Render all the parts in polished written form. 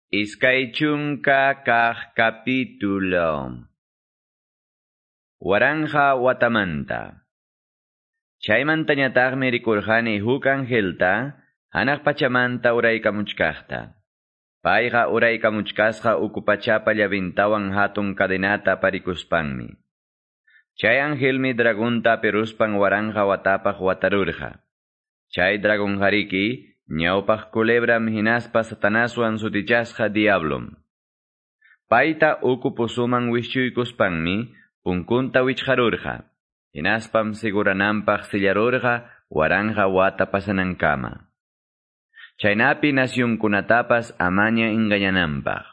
20 capítulo. Waranqa watamanta. Chaymantañataqmi rikurqani huk angelta hanaq pachamanta uraykamuchkaqta. Payqa uraykamuchkasqa uku pachapa llavintawan hatun cadenata parikuspanmi. Chay angelmi dragonta peruspan waranqa watapaq watarurqa. Chay dragonjariki ñawpaq culebram hinaspa Satanaswan sutichasqa diablom. Payta uku pozoman wischuykuspanmi punkunta wichqarurqa. Hinaspam sigurananpaq sillarurqa waranqa wata pasanankama. Chaynapi nasyunkunatapas amaña engañananpaq.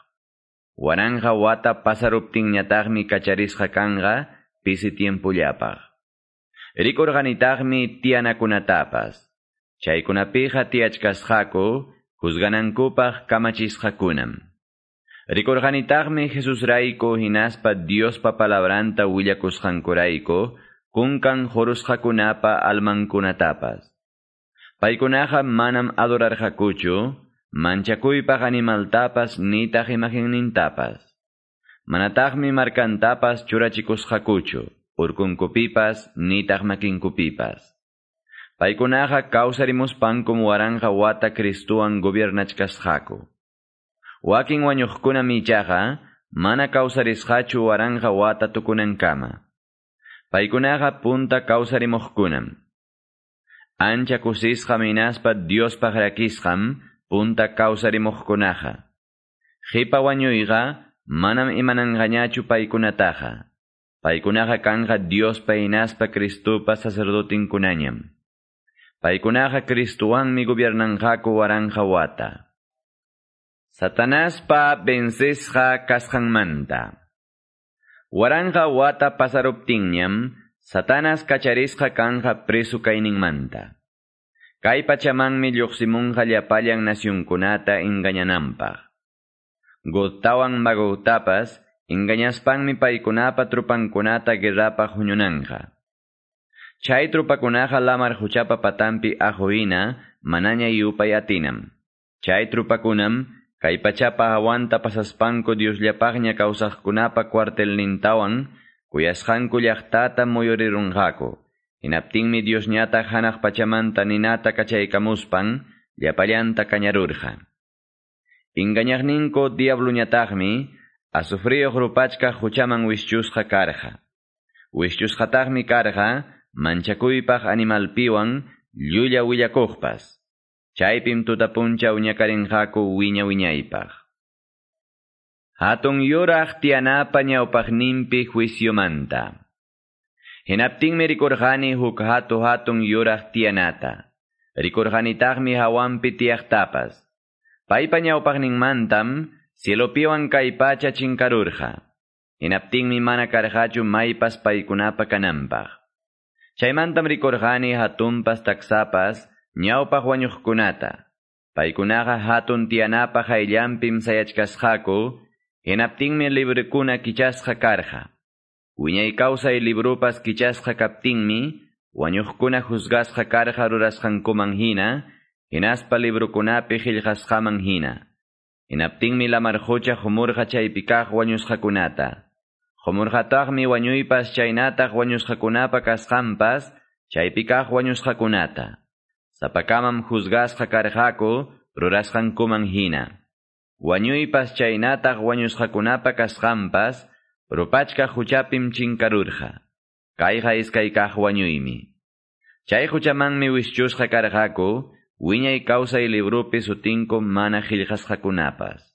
Waranqa wata pasaruptinñataqmi kacharisqa kanqa pisi tiempollapaq. Rikurqanitaqmi tiyanakunatapas. Chaykunapiqa tiyachkasqaku juzganankupaq kamachisqakunam. Rikurqanitaqmi Jesusrayku hinaspa Diospa palabranta willakusqankurayku kunkan jurusqakunapa almankunatapas. Paykunaqa manam adorarqakuchu, manchakuypaq animaltapas nitaq imagennintapas. Manataqmi markantapas churachikusqakuchu, urkunkupipas nitaq makinkupipas. Paykunaqa kawsarimuspankum waranqa wata Cristuwan gobiernachkasqaku. Wakin wañuqkunam ichaqa mana kawsarisqachu waranqa wata tukunankama. Paykunaqa punta kawsarimuqkunam. Ancha kusisqam hinaspa Diospaq rakisqam punta kawsarimuqkunaqa. Qipa wañuyqa manam imananqañachu paykunataqa. Paykunaqa kanqa Diospa hinaspa Cristupa sacerdotinkunañam. Paykunaqa Cristuwanmi gobiernanqaku waranqa wata. Satanaspa vencesqa kasqanmanta. Waranqa wata pasaruptinñam, Satanas kacharisqa kanqa preso kayninmanta. Kay pachamanmi lluqsimunqa llapallan nasyunkunata engañananpaq. Gogtawan Magogtapas engañaspanmi paykunapa trupankunata guerrapaq huñunanqa. Chay trupakunaqa lamar huchapa patampi ahuina manaña yupay atinam. Chay trupakunam kay pachapa hawanta pasaspanku Diosllapaqña kawsaqkunapa cuartelnintawan kuyasqanku llaqtata muyurirunqaku. Hinaptinmi Diosñataq hanaq pachamanta ninata kachaykamuspan llapallanta kañarurqa. Engañaqninku diabluñataqmi azufriyuq rupachkaq huchaman wischusqa karqa. Wischusqataqmi karqa manchakuypaq animalpiwan llulla willakuqpas. Chaypim tutapunchaw ñakarinqaku wiña wiñaypaq. Hatun yuraq tiyanapa ñawpaqninpi juiciomanta. Hinaptinmi rikurqani huk hatu hatun yuraq tiyanata. Rikurqanitaqmi hawanpi tiyaqtapas. Paypa ñawpaqninmantam cielopiwan kay pacha chinkarurqa. Hinaptinmi mana karqachu maypas paykunapa kananpaq. Chaymantam rikurqani hatunpas taksapas ñawpaq wañuqkunata. Paykunaqa hatun tiyanapa hayllanpim sayachkasqaku, hinaptinmi librukuna kichasqa karqa. Wiñay kawsay librupas kichasqa kaptinmi, wañuqkuna juzgasqa karqa rurasqankuman hina, hinaspa librukunapi qillqasqaman hina. Hinaptinmi lamar qucha humurqa chaypi kaq wañusqakunata. Humurqataqmi wañuypas chaynataq wañusqakunapa kasqanpas chaypi kaq wañusqakunata. Sapakamam juzgasqa karqaku rurasqankuman hina. Wañuypas chaynataq wañusqakunapa kasqanpas rupachkaq huchapim chinkarurqa. Kayqa iskay kaq wañuymi. Chay huchamanmi wischusqa karqaku wiñay kawsay librupi sutinku mana qillqasqakunapas.